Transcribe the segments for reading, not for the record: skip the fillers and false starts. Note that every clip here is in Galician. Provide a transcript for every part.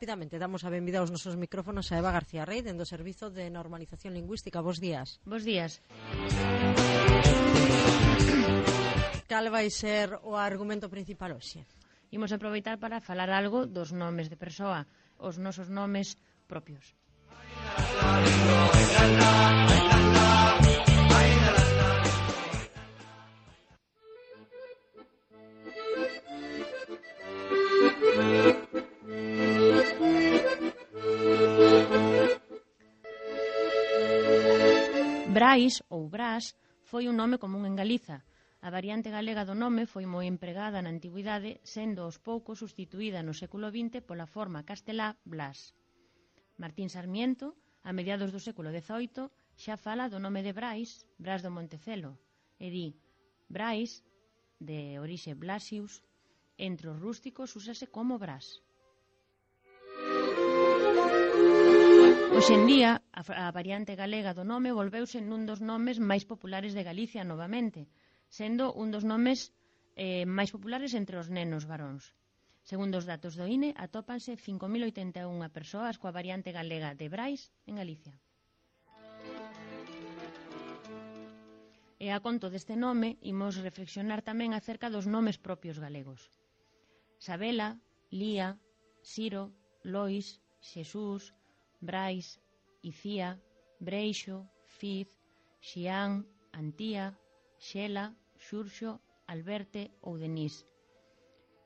rapidamente damos a benvida aos nosos micrófonos a Eva García Rey, dentro do Servizo de Normalización Lingüística. Bos días. Bos días. Cal vai ser o argumento principal hoxe? Imos aproveitar para falar algo dos nomes de persoa, os nosos nomes propios. Brais ou Brás foi un nome común en Galiza. A variante galega do nome foi moi empregada na antigüidade, sendo aos poucos sustituída no século XX pola forma castelá Blas. Martín Sarmiento, a mediados do século XVIII, xa fala do nome de Brais, Brás do Montecelo, e di Brais, de orixe Blasius, entre os rústicos úsase como Brás. Hoxe en día, a variante galega do nome volveuse nun dos nomes máis populares de Galicia novamente, sendo un dos nomes máis populares entre os nenos varóns. Segundo os datos do INE, atópanse 5.081 persoas coa variante galega de Brais en Galicia. E a conto deste nome, imos reflexionar tamén acerca dos nomes propios galegos. Sabela, Lía, Siro, Lois, Xesús, Brais, Icía, Breixo, Fiz, Xián, Antía, Xela, Xurxo, Alberte ou Denís.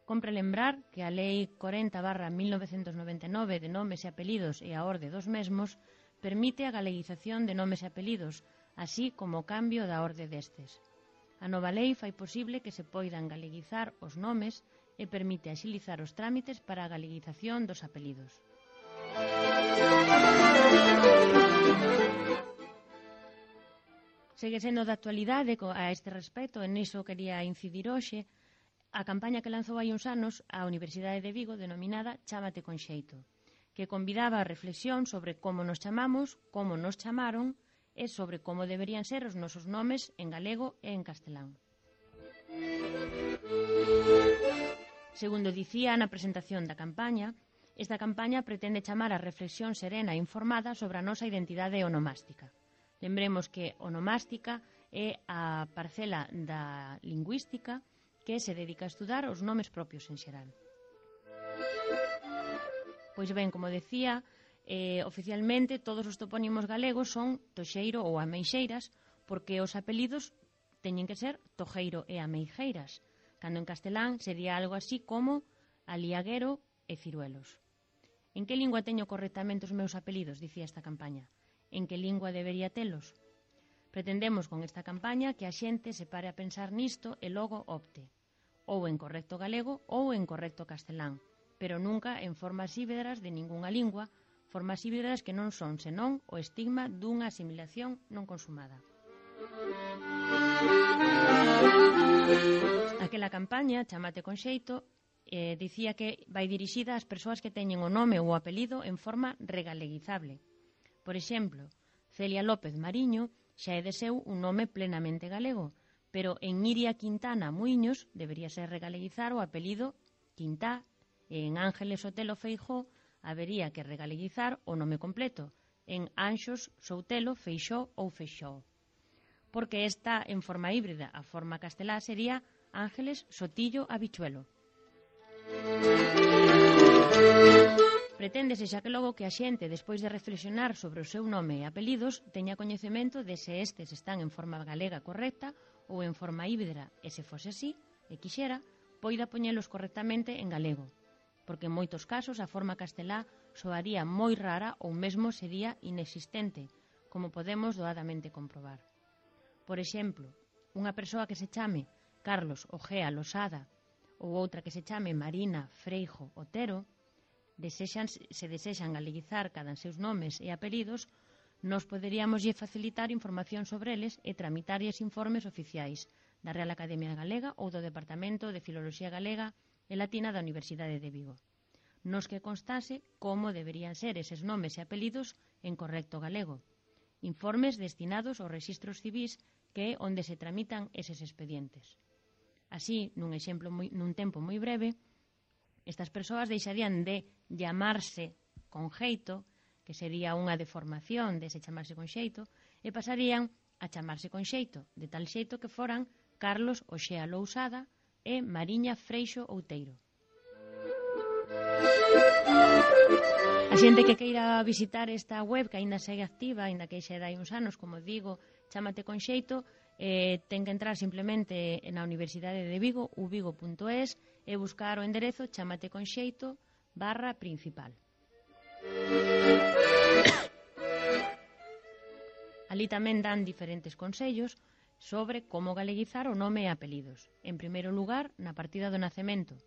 Compre lembrar que a Lei 40/1999 de nomes e apelidos e a orde dos mesmos permite a galeguización de nomes e apelidos, así como o cambio da orde destes. A nova lei fai posible que se poidan galeguizar os nomes e permite axilizar os trámites para a galeguización dos apelidos. Segue sendo de actualidade a este respecto, en iso quería incidir hoxe, a campaña que lanzou hai uns anos a Universidade de Vigo denominada Chámate con xeito, que convidaba a reflexión sobre como nos chamamos, como nos chamaron e sobre como deberían ser os nosos nomes en galego e en castelán. Segundo dicía na presentación da campaña, esta campaña pretende chamar a reflexión serena e informada sobre a nosa identidade onomástica. Lembremos que onomástica é a parcela da lingüística que se dedica a estudar os nomes propios en xeral. Pois ben, como decía, oficialmente todos os topónimos galegos son Toxeiro ou Ameixeiras, porque os apelidos teñen que ser Tojeiro e Ameijeiras, cando en castelán sería algo así como Aliaguero e Ciruelos. En que lingua teño correctamente os meus apelidos, dicía esta campaña? En que lingua debería telos? Pretendemos con esta campaña que a xente se pare a pensar nisto e logo opte, ou en correcto galego ou en correcto castelán, pero nunca en formas híbridas de ningunha lingua, formas híbridas que non son senón o estigma dunha asimilación non consumada. Aquela campaña, Chámate con xeito, dicía que vai dirixida ás persoas que teñen o nome ou o apelido en forma regaleguizable. Por exemplo, Celia López Mariño xa é de seu un nome plenamente galego, pero en Iria Quintana Muiños debería ser regaleguizar o apelido Quintá, e en Ángeles Sotelo Feijó habería que regaleguizar o nome completo, en Anxos Soutelo Feixó ou Feixó. Porque esta en forma híbrida, a forma castelá sería Ángeles Sotillo Habichuelo. Preténdese xa que logo que a xente, despois de reflexionar sobre o seu nome e apelidos, teña coñecemento de se estes están en forma galega correcta ou en forma híbrida, e se fose así, e quixera, poida poñelos correctamente en galego, porque en moitos casos a forma castelá soaría moi rara ou mesmo sería inexistente, como podemos doadamente comprobar. Por exemplo, unha persoa que se chame Carlos Ojea Losada ou outra que se chame Marina Freijo Otero, se desexan galeguizar cada seus nomes e apelidos, nos poderíamos facilitar información sobre eles e tramitarlles informes oficiais da Real Academia Galega ou do Departamento de Filoloxía Galega e Latina da Universidade de Vigo, nos que constase como deberían ser eses nomes e apelidos en correcto galego. Informes destinados aos rexistros civís, que é onde se tramitan eses expedientes. Así, nun tempo moi breve, Estas persoas deixarían de llamarse con xeito, que sería unha deformación dese chamarse con xeito, e pasarían a chamarse con xeito, de tal xeito que foran Carlos Oxea Lousada e Mariña Freixo Outeiro. A xente que queira visitar esta web, que aínda segue activa, aínda que xa dai uns anos, como digo, Chámate con xeito, ten que entrar simplemente na Universidade de Vigo, uvigo.es, e buscar o enderezo chamateconxeito/principal. Ali tamén dan diferentes consellos sobre como galeguizar o nome e apelidos. En primeiro lugar, na partida do nacemento.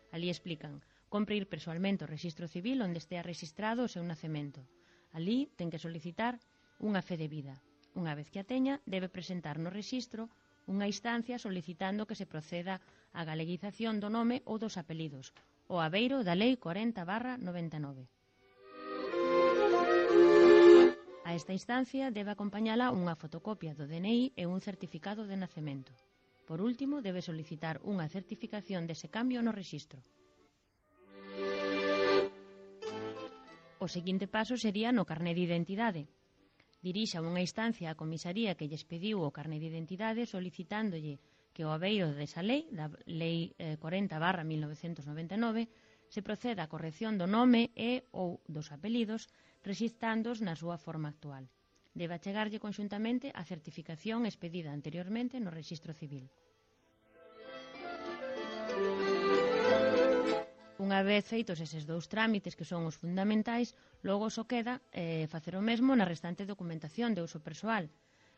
Ali explican: compre ir persoalmente ao Rexistro Civil onde estea rexistrado o seu nacemento. Ali ten que solicitar unha fe de vida. Unha vez que a teña, debe presentar no rexistro unha instancia solicitando que se proceda á galeguización do nome ou dos apelidos, o abeiro da Lei 40/99. A esta instancia debe acompañala unha fotocopia do DNI e un certificado de nacemento. Por último, debe solicitar unha certificación dese cambio no rexistro. O seguinte paso sería no carné de identidade. Dirixa unha instancia á comisaría que lles pediu o carné de identidade solicitándolle que o abeiro desa lei, da Lei 40/1999, se proceda á corrección do nome e ou dos apelidos rexistrándoos na súa forma actual. Debe achegarlle conxuntamente a certificación expedida anteriormente no Rexistro Civil. Unha vez feitos eses dous trámites que son os fundamentais, logo só queda facer o mesmo na restante documentación de uso persoal.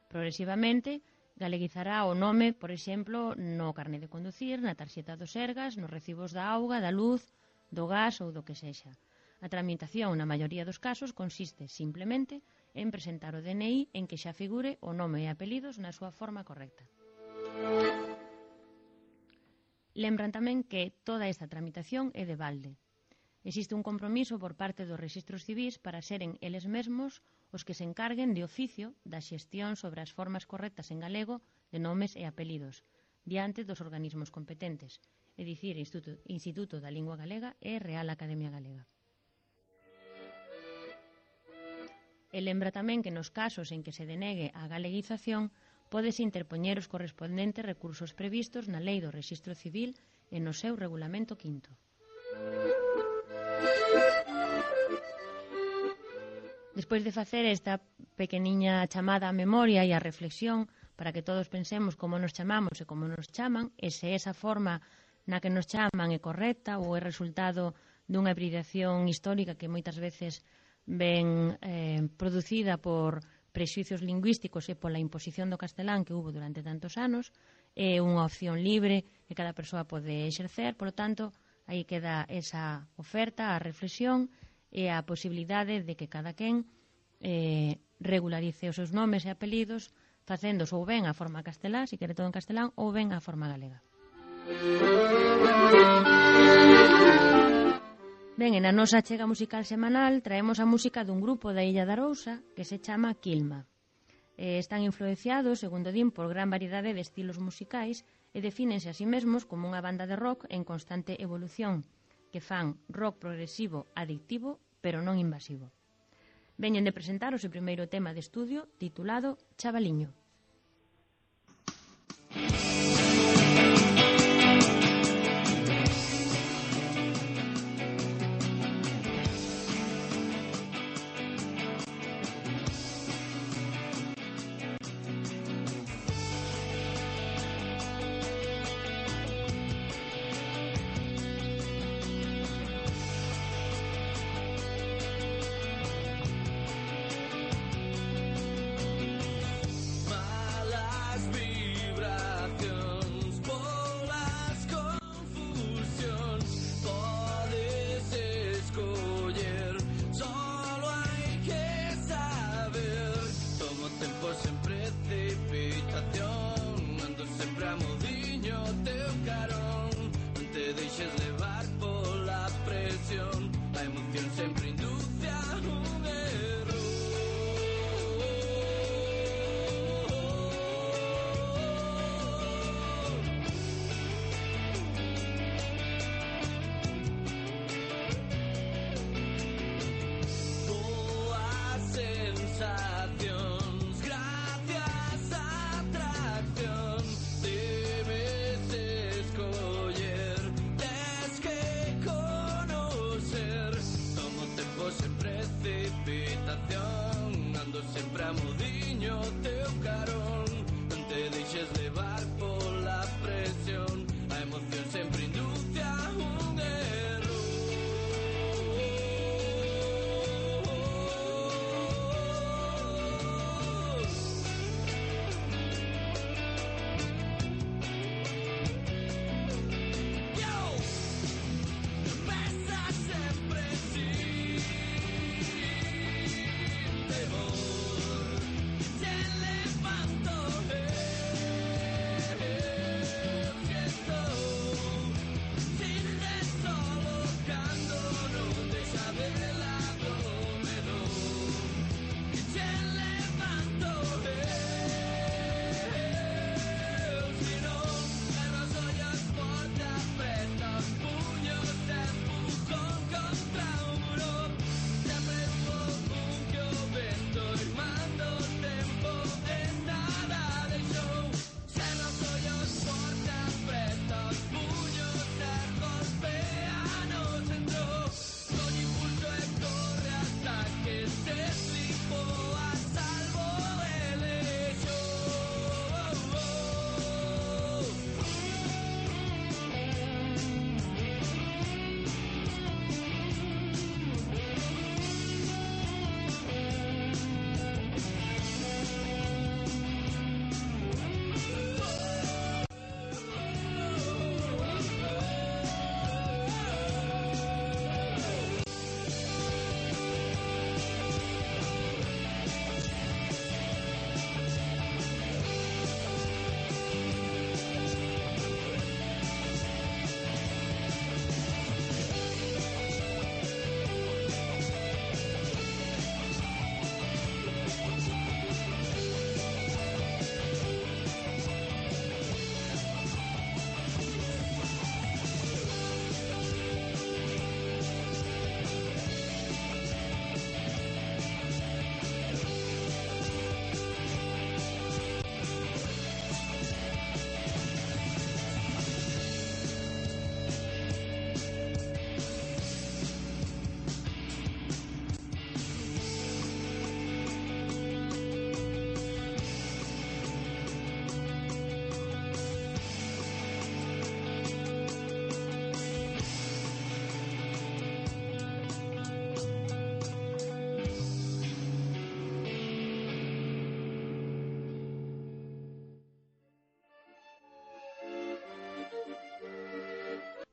Progresivamente, galeguizará o nome, por exemplo, no carné de conducir, na tarxeta do Sergas, nos recibos da auga, da luz, do gas ou do que sexa. A tramitación, na maioría dos casos, consiste simplemente en presentar o DNI en que xa figure o nome e apelidos na súa forma correcta. Lembran tamén que toda esta tramitación é de balde. Existe un compromiso por parte dos rexistros civís para seren eles mesmos os que se encarguen de oficio da xestión sobre as formas correctas en galego de nomes e apelidos, diante dos organismos competentes, é dicir, Instituto da Lingua Galega e Real Academia Galega. E lembra tamén que nos casos en que se denegue a galeguización pódese interpoñer os correspondentes recursos previstos na Lei do Rexistro Civil e no seu Regulamento V. Despois de facer esta pequeniña chamada á memoria e á reflexión para que todos pensemos como nos chamamos e como nos chaman, e se esa forma na que nos chaman é correcta ou é resultado dunha hibridación histórica que moitas veces ven producida por prexuicios lingüísticos e pola imposición do castelán que hubo durante tantos anos, é unha opción libre que cada persoa pode exercer, polo tanto, aí queda esa oferta, a reflexión e a posibilidade de que cada quen regularice os seus nomes e apelidos facéndos ou ben a forma castelá, se quere todo en castelán, ou ben a forma galega. Ben, na nosa achega musical semanal traemos a música dun grupo da Illa de Arousa que se chama Quilma. Están influenciados, segundo din, por gran variedade de estilos musicais e defínense a sí mesmos como unha banda de rock en constante evolución, que fan rock progresivo adictivo, pero non invasivo. Veñen de presentar o seu primeiro tema de estudio titulado Chavaliño. My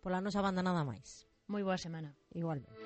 Pola nosa banda nada máis. Moi boa semana. Igualmente.